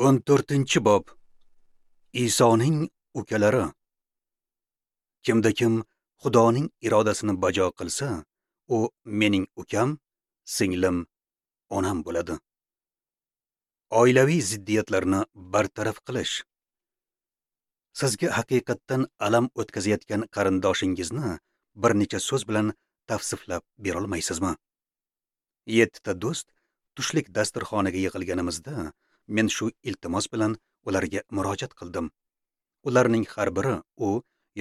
14-bob. Isoning ukalari. Kimda kim Xudoning irodasini bajo qilsa, u mening ukam, singlim, onam bo'ladi. Oilaviy ziddiyatlarni bartaraf qilish. Sizga haqiqatdan alam o'tkazayotgan qarindoshingizni bir necha so'z bilan tavsiflab bera olmaysizmi? 7 ta do'st tushlik dasturxoniga yig'ilganimizda men shu iltimos bilan ularga murojaat qildim. Ularning har biri u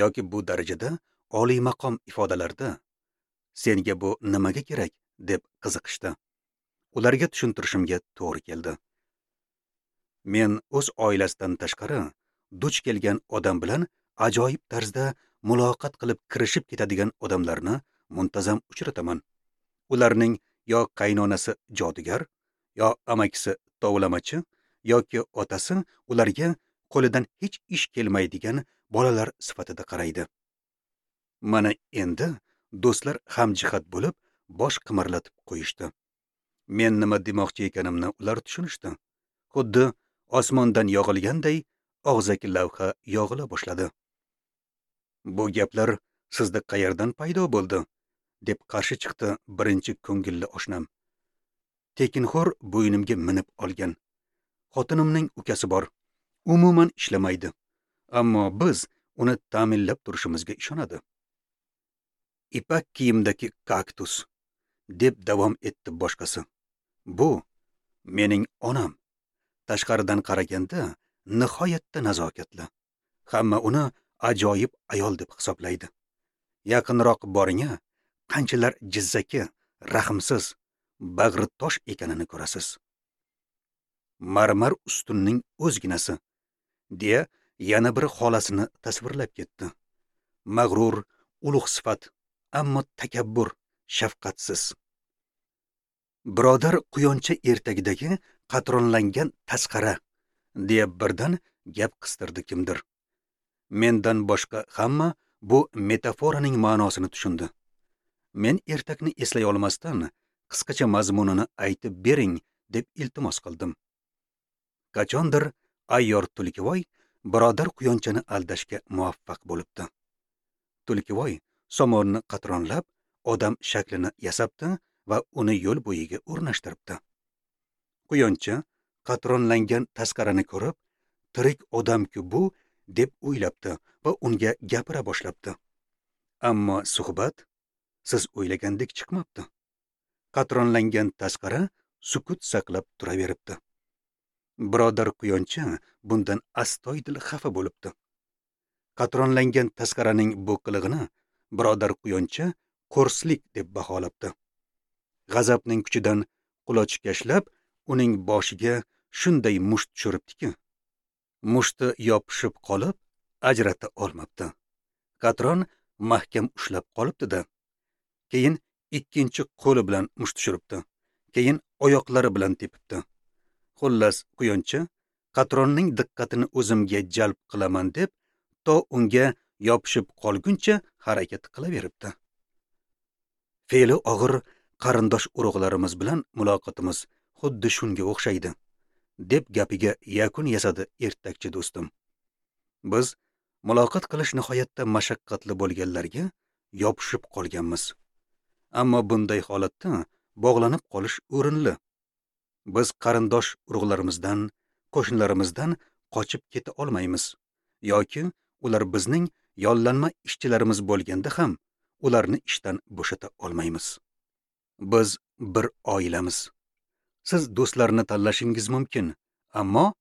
yoki bu darajada oliy maqom ifodalarda "Senga bu nimaga kerak?" deb qiziqishdi. Ularga tushuntirishimga to'g'ri keldi. Men o'z oilasidan tashqari duch kelgan odam bilan ajoyib tarzda muloqot qilib kirishib ketadigan odamlarni muntazam uchrataman. Ularning yo qaynonasi jodugar, yo amakisi tovlamachi, yoki otasi ularga qo'lidan hech ish kelmaydigan bolalar sifatida qaraydi. Mana endi do'stlar hamjihat bo'lib bosh qimirlatib qo'yishdi. Men nima demoqchi ekanimni ular tushunishdi. Xuddi osmondan yog'ilganday og'zaki lavha yog'ila boshladi. "Bu gaplar sizda qayerdan paydo bo'ldi?" deb qarshi chiqdi birinchi ko'ngilli oshnam. Tekinxo'r bo'ynimga minib olgan. Xotinimning ukasi bor. Umuman ishlamaydi. Ammo biz uni ta'minlab turishimizga ishonadi. Ipak kiyimdagi kaktus, deb davom etdi boshqasi. Bu mening onam. Tashqaridan qaraganda nihoyatda nazokatli. Hamma uni ajoyib ayol deb hisoblaydi. Yaqinroq boring-a, qanchalar jizzaki, rahmsiz, bag'ri tosh ekanini ko'rasiz. Marmar ustunning o'zginasi, deya yana bir xolasini tasvirlab ketdi. Mag'rur, ulug' sifat, ammo takabbur, shafqatsiz. Birodar quyoncha ertagidagi qatronlangan tasqara, deya birdan gap qistirdi kimdir. Mendan boshqa hamma bu metaforaning ma'nosini tushundi. Men ertakni eslay olmasdan qisqacha mazmunini aytib bering deb iltimos qildim. Qachondir ayyor Tulkivoy birodar quyonchani aldashga muvaffaq bo'libdi. Tulkivoy somonni qatronlab odam shaklini yasabdi va uni yo'l bo'yiga o'rnashtiribdi. Quyoncha qatronlangan tasqarani ko'rib, tirik odam-ku bu deb o'ylabdi va unga gapira boshlabdi. Ammo suhbat siz o'ylagandek chiqmabdi. Qatronlangan tasqara sukut saqlab turaveribdi. Birodar quyoncha bundan astoydil xafa bo'libdi. Qatronlangan tasqaraning bu qilig'ini birodar quyoncha qo'rslik deb baholabdi. G'azabning kuchidan quloch kashlab uning boshiga shunday musht tushiribdiki, mushti yopishib qolib ajrata olmabdi. Qatron mahkam ushlab qolibdi-da. Keyin ikkinchi qo'li bilan musht tushiribdi. Keyin oyoqlari bilan tepibdi. Xullas, quyoncha qatronning diqqatini o'zimga jalb qilaman deb to unga yopishib qolguncha harakat qilaveribdi. Fe'li og'ir qarindosh urug'larimiz bilan muloqotimiz xuddi shunga o'xshaydi, deb gapiga yakun yasadi ertakchi do'stim. Biz muloqot qilish nihoyatda mashaqqatli bo'lganlarga yopishib qolganmiz. Ammo bunday holatda bog'lanib qolish o'rinli. Biz qarindosh urug'larimizdan, qo'shnilarimizdan qochib keta olmaymiz yoki ular bizning yollanma ishchilarimiz bo'lganda ham ularni ishdan bo'shata olmaymiz. Biz bir oilamiz. Siz do'stlarni tanlashingiz mumkin, ammo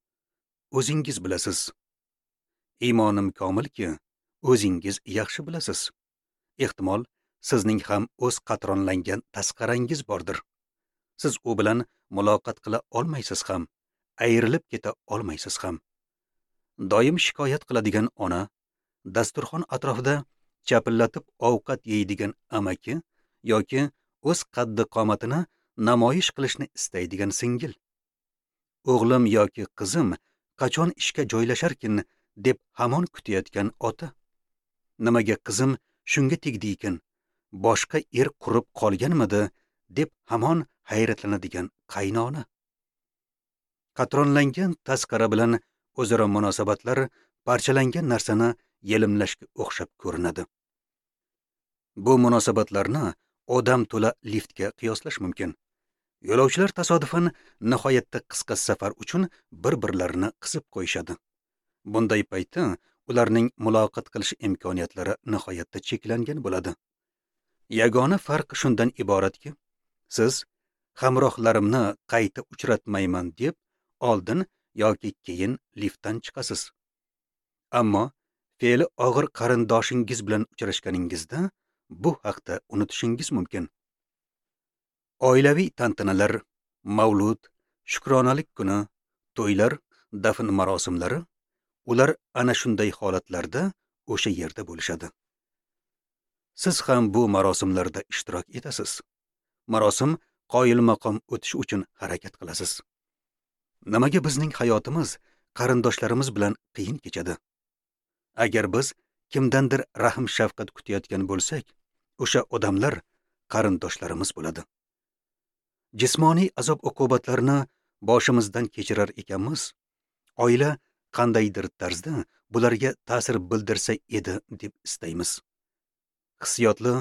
o'zingiz bilasiz. Iymonim komilki, o'zingiz yaxshi bilasiz. Ehtimol, sizning ham o'z qatronlangan tasqarangiz bordir. Siz u bilan muloqot qila olmaysiz ham, ayrilib keta olmaysiz ham. Doim shikoyat qiladigan ona, dasturxon atrofida chapillatib ovqat yeydigan amaki yoki o'z qaddi qomatini namoyish qilishni istaydigan singil. O'g'lim yoki qizim qachon ishga joylasharkin deb hamon kutayotgan ota. Nimaga qizim shunga tegdi ekan, boshqa er qurib qolganmidi deb hamon hayratlanadigan qaynona. Qatronlangan tasqara bilan o'zaro munosabatlar parchalangan narsani yelimlashga o'xshab ko'rinadi. Bu munosabatlarni odam to'la liftga qiyoslash mumkin. Yo'lovchilar tasodifan nihoyatda qisqa safar uchun bir-birlarini qisib qo'yishadi. Bunday paytda ularning muloqot qilish imkoniyatlari nihoyatda cheklangan bo'ladi. Yagona farq shundan iboratki, siz hamrohlarimni qayta uchratmayman deb oldin yoki keyin liftdan chiqasiz. Ammo fe'li og'ir qarindoshingiz bilan uchrashganingizda bu haqda unutishingiz mumkin. Oilaviy tantanalar, mavlud, shukronalik kuni, to'ylar, dafn marosimlari, ular ana shunday holatlarda o'sha yerda bo'lishadi. Siz ham bu marosimlarda ishtirok etasiz. Marosim qoyilmaqom o'tishi uchun harakat qilasiz. Nimaga bizning hayotimiz qarindoshlarimiz bilan qiyin kechadi? Agar biz kimdandir rahm shafqat kutayotgan bo'lsak, o'sha odamlar qarindoshlarimiz bo'ladi. Jismoniy azob uqubatlarni boshimizdan kechirar ekanmiz, oila qandaydir tarzda bularga ta'sir bildirsa edi deb istaymiz. Hissiyotli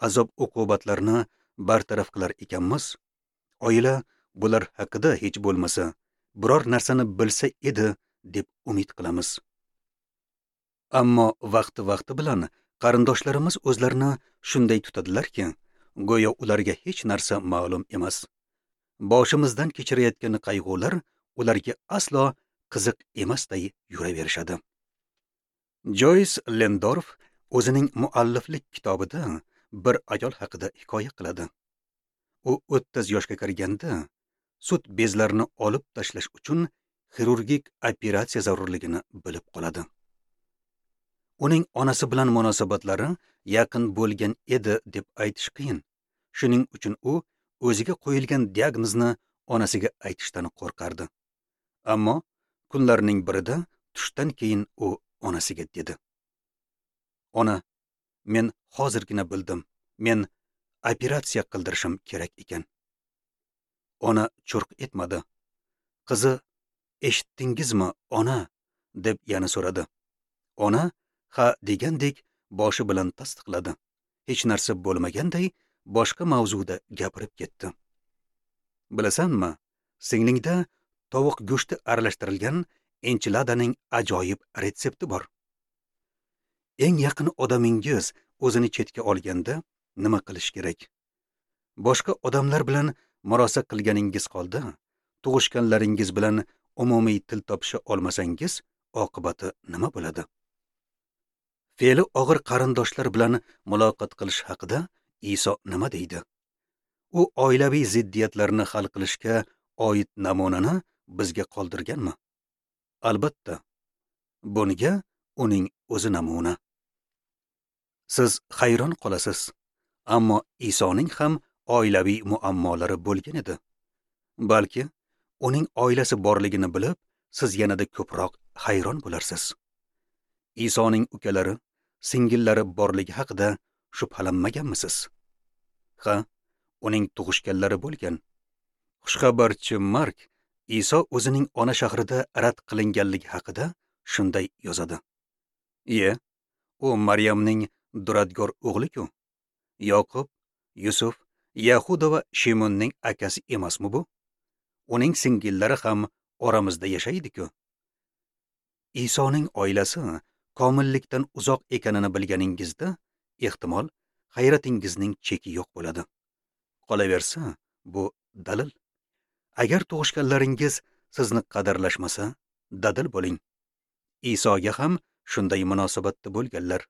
azob uqubatlarni bartaraf qilar ekanmiz, oila bular haqida hech bo'lmasa biror narsani bilsa edi deb umid qilamiz. Ammo vaqti-vaqti bilan qarindoshlarimiz o'zlarini shunday tutadilarki, go'yo ularga hech narsa ma'lum emas. Boshimizdan kechirayotgan qayg'ular ularga aslo qiziq emasday yuraverishadi. Joyce Lendorf o'zining mualliflik kitobida bir ayol haqida hikoya qiladi. U 30 yoshga kirganda sut bezlarini olib tashlash uchun xirurgik operatsiya zarurligini bilib qoladi. Uning onasi bilan munosabatlari yaqin bo'lgan edi deb aytish qiyin. Shuning uchun u o'ziga qo'yilgan diagnozni onasiga aytishdan qo'rqardi. Ammo kunlarning birida tushdan keyin u onasiga dedi: "Ona, men hozirgina bildim. Men operatsiya qildirishim kerak ekan." Ona churq etmadi. Qizi: "Eshitdingizmi, ona?" deb yana so'radi. Ona ha degandek boshi bilan tasdiqladi. Hech narsa bo'lmaganday boshqa mavzuda gapirib ketdi. "Bilasanmi, singlingda tovuq go'shti aralashtirilgan enchiladaning ajoyib retsepti bor. Eng yaqin odamingiz o'zini chetga olganda nima qilish kerak? Boshqa odamlar bilan murosa qilganingiz holda tug'ishganlaringiz bilan umumiy til topisha olmasangiz, oqibati nima bo'ladi?" Fe'li og'ir qarindoshlar bilan muloqot qilish haqida Iso nima deydi? U oilaviy ziddiyatlarni hal qilishga oid namunani bizga qoldirganmi? Albatta, bunga uning o'zi namuna. Siz hayron qolasiz, ammo Isoning ham oilaviy muammolari bo'lgan edi. Balki uning oilasi borligini bilib, siz yanada ko'proq hayron bo'larsiz. Isoning ukalari, singillari borligi haqida shubhalanmaganmisiz? Ha, uning tug'ishganlari bo'lgan. Xushxabarchi Mark Iso o'zining ona shahrida rad qilinganligi haqida shunday yozadi: "Iye, u Maryamning duradgor o'g'li-ku. Yoqub, Yusuf, Yahuda va Shimonning akasi emasmi bu? Uning singillari ham oramizda yashaydi-ku." Isoning oilasi komillikdan uzoq ekanini bilganingizda, ehtimol hayratingizning cheki yo'q bo'ladi. Qolaversa, bu dalil. Agar tug'ishganlaringiz sizni qadrlashmasa, dadil bo'ling. Isoga ham shunday munosabatda bo'lganlar.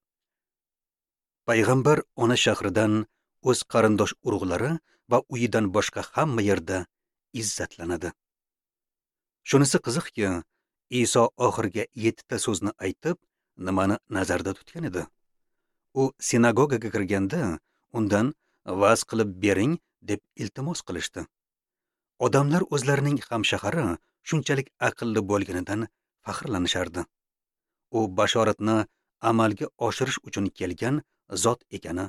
Payg'ambar ona shahridan, o'z qarindosh urug'lari va uyidan boshqa hamma yerda izzatlanadi. Shunisi qiziqki, Iso oxirgi 7 ta so'zni aytib, nimani nazarda tutgan edi? U sinagogaga kirganda undan va'z qilib bering deb iltimos qilishdi. Odamlar o'zlarining hamshahari shunchalik aqlli bo'lganidan faxrlanishardi. U bashoratni amalga oshirish uchun kelgan zot ekani,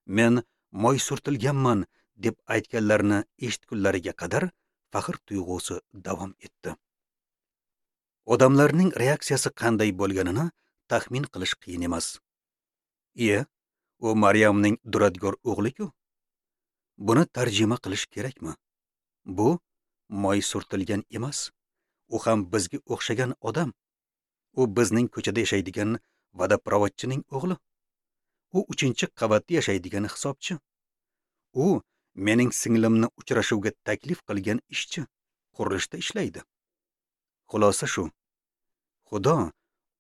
men moy surtilganman deb aytganlarini eshitgunlariga qadar faxr tuyg'usi davom etdi. Odamlarning reaksiyasi qanday bo'lganini taxmin qilish qiyin emas. Iye, u Maryamning duradgor o'g'li-ku. Buni tarjima qilish kerakmi? Bu moy surtilgan emas. U ham bizga o'xshagan odam. U bizning ko'chada yashaydigan vodoprovodchining o'g'li. U 3-qavatda yashaydigan hisobchi. U mening singlimni uchrashuvga taklif qilgan ishchi, qurilishda ishlaydi. Xulosa shu. Xudo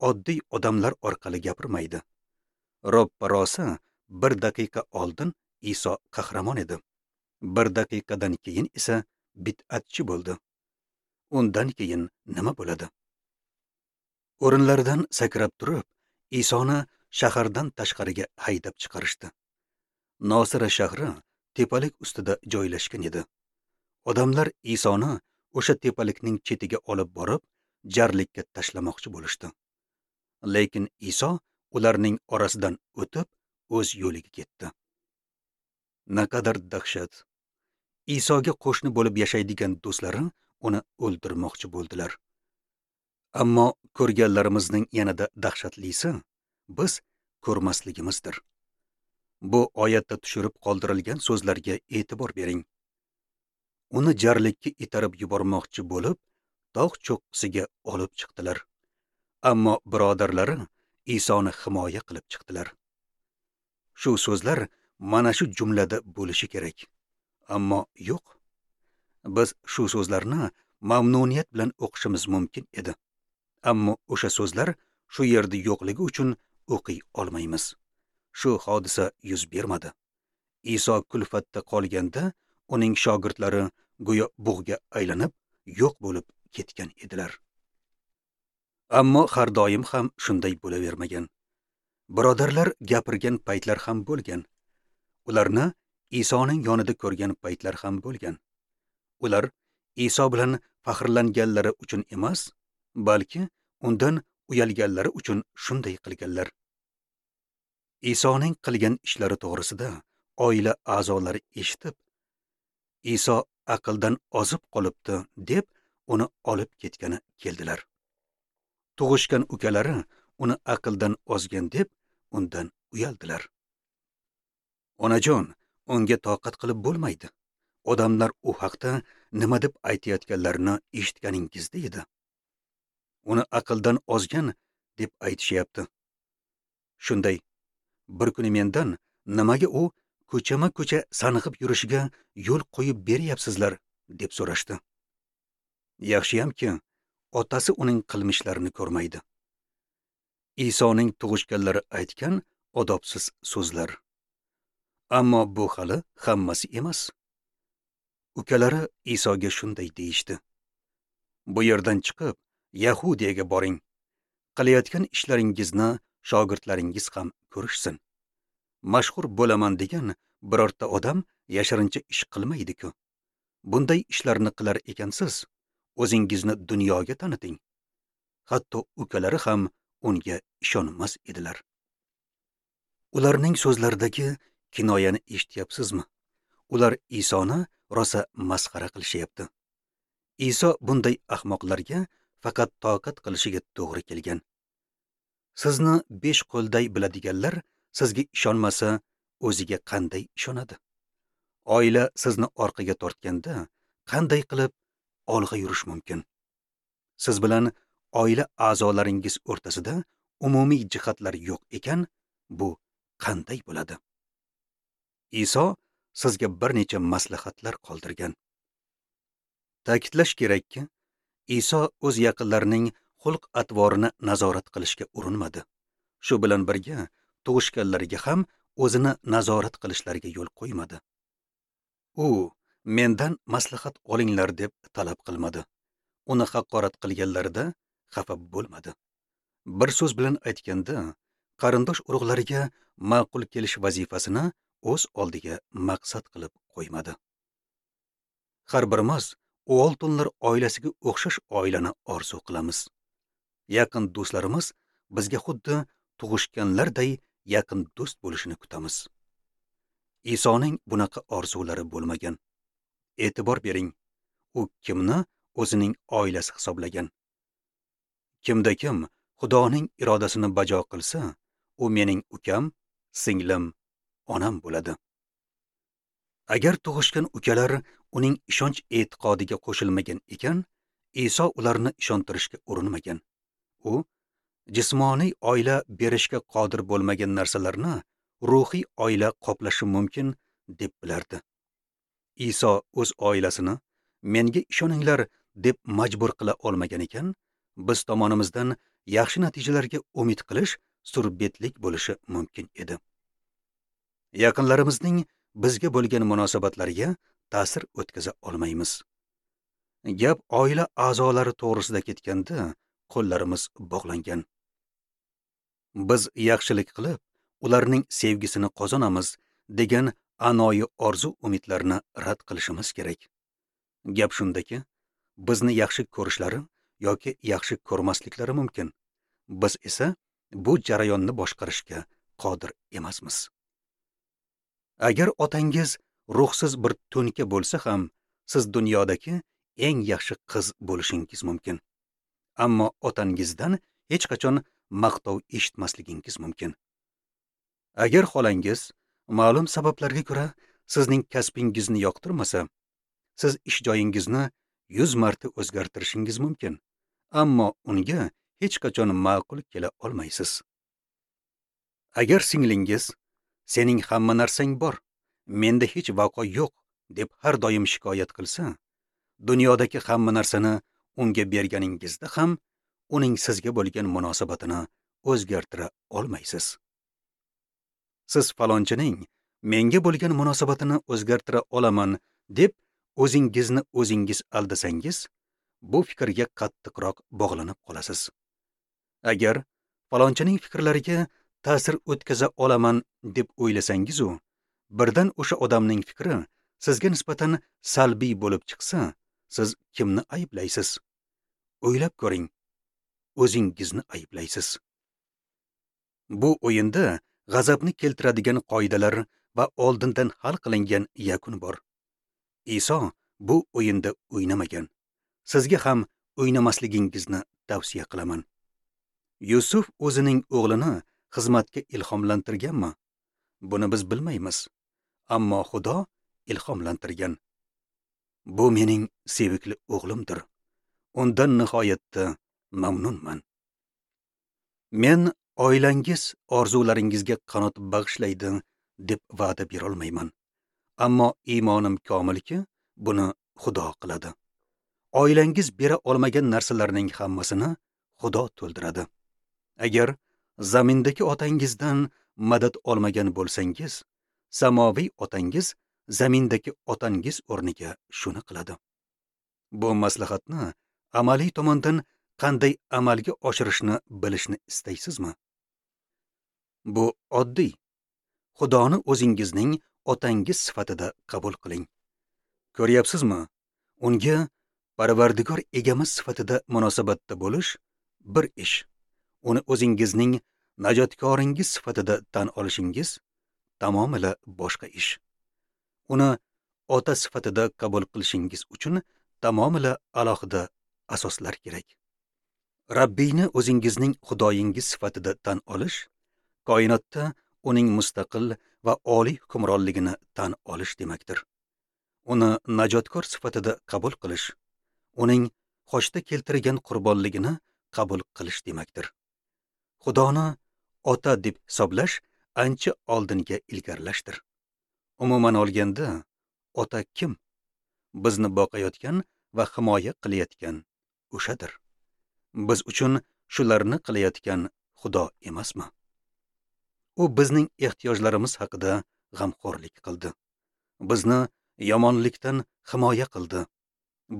oddiy odamlar orqali gapirmaydi. Ro'ppa-rosa bir daqiqa oldin Iso qahramon edi. Bir daqiqadan keyin esa bid'atchi bo'ldi. Undan keyin nima bo'ladi? O'rinlaridan sakrab turib, Isoni shahardan tashqariga haydab chiqarishdi. Nosira shahri tepalik ustida joylashgan edi. Odamlar Isoni o'sha tepalikning chetiga olib borib, jarlikka tashlamoqchi bo'lishdi. Lekin Iso ularning orasidan o'tib, o'z yo'liga ketdi. Naqadar dahshat! Isoga qo'shni bo'lib yashaydigan do'stlari uni o'ldirmoqchi bo'ldilar. Ammo ko'rganlarimizning yanada dahshatlisi biz ko'rmasligimizdir. Bu oyatda tushirib qoldirilgan so'zlarga e'tibor bering. Uni jarlikka itarib yubormoqchi bo'lib, tog' cho'qqisiga olib chiqdilar. Ammo birodarlari Isoni himoya qilib chiqdilar. Shu so'zlar mana shu jumlada bo'lishi kerak. Ammo yo'q. Biz shu so'zlarni mamnuniyat bilan o'qishimiz mumkin edi. Ammo o'sha so'zlar shu yerda yo'qligi uchun o'qiy olmaymiz. Shu hodisa yuz bermadi. Iso kulfatda qolganda uning shogirdlari go'yo bug'ga aylanib, yo'q bo'lib ketgan edilar. Ammo har doim ham shunday bo'lavermagan. Birodarlar gapirgan paytlar ham bo'lgan. Ularni Isoning yonida ko'rgan paytlar ham bo'lgan. Ular Iso bilan faxrlanganlari uchun emas, balki undan uyalganlari uchun shunday qilganlar. Isoning qilgan ishlari to'g'risida oila a'zolari eshitib, Iso aqldan ozib qolibdi deb uni olib ketgani keldilar. Tug'ishgan ukalari uni aqldan ozgan deb undan uyaldilar. Onajon, unga toqat qilib bo'lmaydi. Odamlar u haqda nima deb aytayotganlarini eshitganingizda edi. Uni aqldan ozgan deb aytishyapti. Shunday bir kuni mendan nimaga u ko'chama-ko'cha sanqib yurishiga yo'l qo'yib beryapsizlar deb so'rashdi. Yaxshiyamki, otasi uning qilmishlarini ko'rmaydi. Isoning tug'ishganlari aytgan odobsiz so'zlar. Ammo bu hali hammasi emas. Ukalari Isoga shunday deyishdi: Bu yerdan chiqib, Yahudiyaga boring. Qilayotgan ishlaringizni shogirdlaringiz ham ko'rishsin. Mashhur bo'laman degan birorta odam yashirincha ish qilmaydi-ku. Bunday ishlarni qilar ekansiz, o'zingizni dunyoga taniting. Hatto ukalari ham unga ishonmas edilar. Ularning so'zlaridagi kinoyani eshityapsizmi? Ular Isoni rosa masxara qilishyapti. Iso bunday ahmoqlarga faqat toqat qilishiga to'g'ri kelgan. Sizni 5 qo'lday biladiganlar sizga ishonmasa, o'ziga qanday ishonadi? Oila sizni orqaga tortganda qanday qilib olg'a yurish mumkin? Siz bilan oila a'zolaringiz o'rtasida umumiy jihatlar yo'q ekan, bu qanday bo'ladi? Iso sizga bir necha maslahatlar qoldirgan. Ta'kidlash kerakki, Iso o'z yaqinlarining xulq-atvorini nazorat qilishga urinmadi. Shu bilan birga tug'ishganlariga ham o'zini nazorat qilishlariga yo'l qo'ymadi. U mendan maslahat olinglar deb talab qilmadi. Uni haqorat qilganlarida xafa bo'lmadi. Bir so'z bilan aytganda, qarindosh urug'lariga ma'qul kelish vazifasini o'z oldiga maqsad qilib qo'ymadi. Har birimiz Uoltonlar oilasiga o'xshash oilani orzu qilamiz. Yaqin do'stlarimiz bizga xuddi tug'ishganlarday yaqin do'st bo'lishini kutamiz. Isoning bunaqa orzulari bo'lmagan. E'tibor bering, u kimni o'zining oilasi hisoblagan? Kimda kim Xudoning irodasini bajo qilsa, u mening ukam, singlim, onam bo'ladi. Agar tug'ishgan ukalar uning ishonch e'tiqodiga qo'shilmagan ekan, Iso ularni ishontirishga urinmagan. U jismoniy oila berishga qodir bo'lmagan narsalarni ruhiy oila qoplashi mumkin deb bilardi. Iso o'z oilasini menga ishoninglar deb majbur qila olmagan ekan, biz tomonimizdan yaxshi natijalarga umid qilish surbetlik bo'lishi mumkin edi. Yaqinlarimizning bizga bo'lgan munosabatlariga ta'sir o'tkaza olmaymiz. Gap oila a'zolari to'g'risida ketganda qo'llarimiz bog'langan. Biz yaxshilik qilib, ularning sevgisini qozonamiz degan anoyi orzu umidlarni rad qilishimiz kerak. Gap shundaki, bizni yaxshi ko'rishlari yoki yaxshi ko'rmasliklari mumkin. Biz esa bu jarayonni boshqarishga qodir emasmiz. Agar otangiz ruhsiz bir to'nka bo'lsa ham, siz dunyodagi eng yaxshi qiz bo'lishingiz mumkin. Ammo otangizdan hech qachon maqtov eshitmasligingiz mumkin. Agar xolangiz ma'lum sabablarga ko'ra sizning kasbingizni yoqtirmasa, siz ish joyingizni 100 marta o'zgartirishingiz mumkin, ammo unga hech qachon ma'qul kela olmaysiz. Agar singlingiz sening hamma narsang bor, menda hech vaqo yo'q deb har doim shikoyat qilsa, dunyodagi hamma narsani unga berganingizda ham uning sizga bo'lgan munosabatini o'zgartira olmaysiz. Siz falonchining menga bo'lgan munosabatini o'zgartira olaman deb o'zingizni o'zingiz aldasangiz, bu fikrga qattiqroq bog'lanib qolasiz. Agar falonchining fikrlariga ta'sir o'tkaza olaman deb o'ylasangiz, u birdan o'sha odamning fikri sizga nisbatan salbiy bo'lib chiqsa, siz kimni ayblaysiz? O'ylab ko'ring, o'zingizni ayblaysiz. Bu o'yinda g'azabni keltiradigan qoidalar va oldindan hal qilingan yakun bor. Iso bu o'yinda o'ynamagan. Sizga ham o'ynamasligingizni tavsiya qilaman. Yusuf o'zining o'g'lini xizmatga ilhomlantirganmi? Buni biz bilmaymiz. Ammo Xudo ilhomlantirgan. Bu mening sevikli o'g'limdir. Undan nihoyatda mamnunman. Men oilangiz orzularingizga qanot bag'ishlaydi deb va'da bera olmayman. Ammo iymonim komilki, buni Xudo qiladi. Oilangiz bera olmagan narsalarning hammasini Xudo to'ldiradi. Agar zamindagi otangizdan madad olmagan bo'lsangiz, samoviy otangiz zamindagi otangiz o'rniga shuni qiladi. Bu maslahatni amaliy tomondan qanday amalga oshirishni bilishni istaysizmi? Bu oddiy. Xudoni o'zingizning otangiz sifatida qabul qiling. Ko'ryapsizmi? Unga Parvardigor egamiz sifatida munosabatda bo'lish bir ish. Uni o'zingizning najotkoringiz sifatida tan olishingiz tamomila boshqa ish. Uni ota sifatida qabul qilishingiz uchun tamomila alohida asoslar kerak. Rabbiyni o'zingizning Xudoyingiz sifatida tan olish, koinotda uning mustaqil va oliy hukmronligini tan olish demakdir. Uni najotkor sifatida qabul qilish, uning xochda keltirgan qurbonligini qabul qilish demakdir. Xudoni ota deb hisoblash ancha oldinga ilgarilashdir. Umuman olganda, ota kim? Bizni boqayotgan va himoya qilayotgan o'shadir. Biz uchun shularni qilayotgan Xudo emasmi? U bizning ehtiyojlarimiz haqida g'amxo'rlik qildi. Bizni yomonlikdan himoya qildi.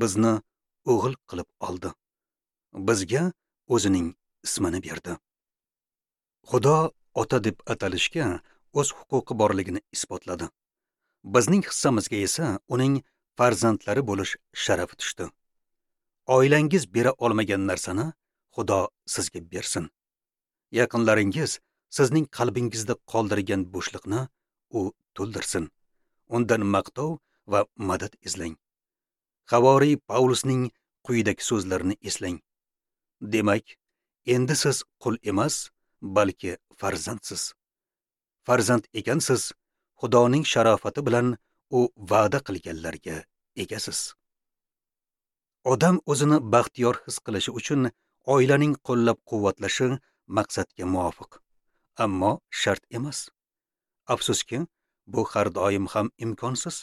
Bizni o'g'il qilib oldi. Bizga o'zining ismini berdi. Xudo ota deb atalishga o'z huquqi borligini isbotladi. Bizning hissamizga esa uning farzandlari bo'lish sharafi tushdi. Oilangiz bera olmagan narsani Xudo sizga bersin. Yaqinlaringiz sizning qalbingizda qoldirgan bo'shliqni u to'ldirsin. Undan maqtov va madad izlang. Havoriy Pavlusning quyidagi so'zlarini eslang. Demak, Endi siz qul emas, balki farzandsiz. Farzand ekansiz, Xudoning sharofati bilan u va'da qilganlarga egasiz. Odam o'zini baxtiyor his qilishi uchun oilaning qo'llab-quvvatlashi maqsadga muvofiq, ammo shart emas. Afsuski, bu har doim ham imkonsiz.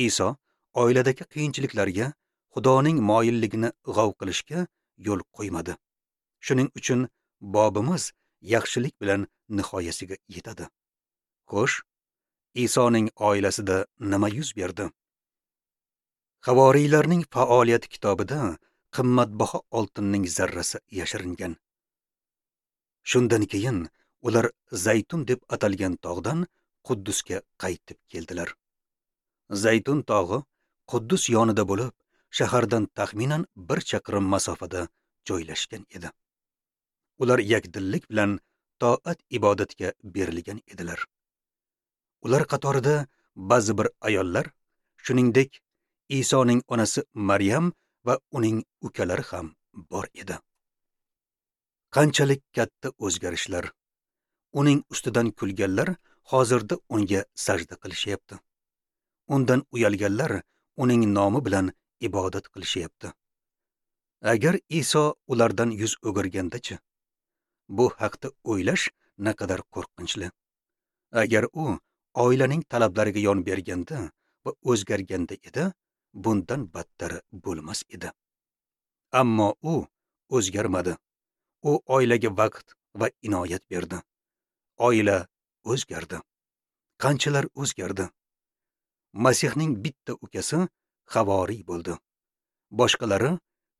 Iso oiladagi qiyinchiliklarga Xudoning moyilligini g'ov qilishga yo'l qo'ymadi. Shuning uchun bobimiz yaxshilik bilan nihoyasiga yetadi. Xo'sh, Isoning oilasida nima yuz berdi? Havoriylarning faoliyati kitobida qimmatbaho oltinning zarrasi yashiringan. Shundan keyin ular Zaytun deb atalgan tog'dan Quddusga qaytib keldilar. Zaytun tog'i Quddus yonida bo'lib, shahardan taxminan 1 chaqirim masofada joylashgan edi. Ular yakdillik bilan toat ibodatga berilgan edilar. Ular qatorida ba'zi bir ayollar, shuningdek, Isoning onasi Maryam va uning ukalari ham bor edi. Qanchalik katta o'zgarishlar! Uning ustidan kulganlar hozirda unga sajda qilishyapti. Undan uyalganlar uning nomi bilan ibodat qilishyapti. Agar Iso ulardan yuz o'girganda-chi? Bu haqda o'ylash naqadar qo'rqinchli. Agar u oilaning talablariga yon berganda va o'zgarganda edi, bundan battari bo'lmas edi. Ammo u o'zgarmadi. U oilaga vaqt va inoyat berdi. Oila o'zgardi. Qanchalar o'zgardi? Masihning bitta ukasi havoriy bo'ldi. Boshqalari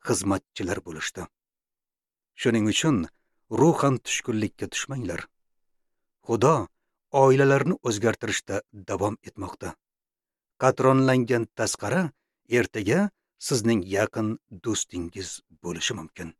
xizmatchilar bo'lishdi. Shuning uchun ruhan tushkunlikka tushmanglar. Xudo oilalarni o'zgartirishda davom etmoqda. Qatronlangan tasqara ertaga sizning yaqin do'stingiz bo'lishi mumkin.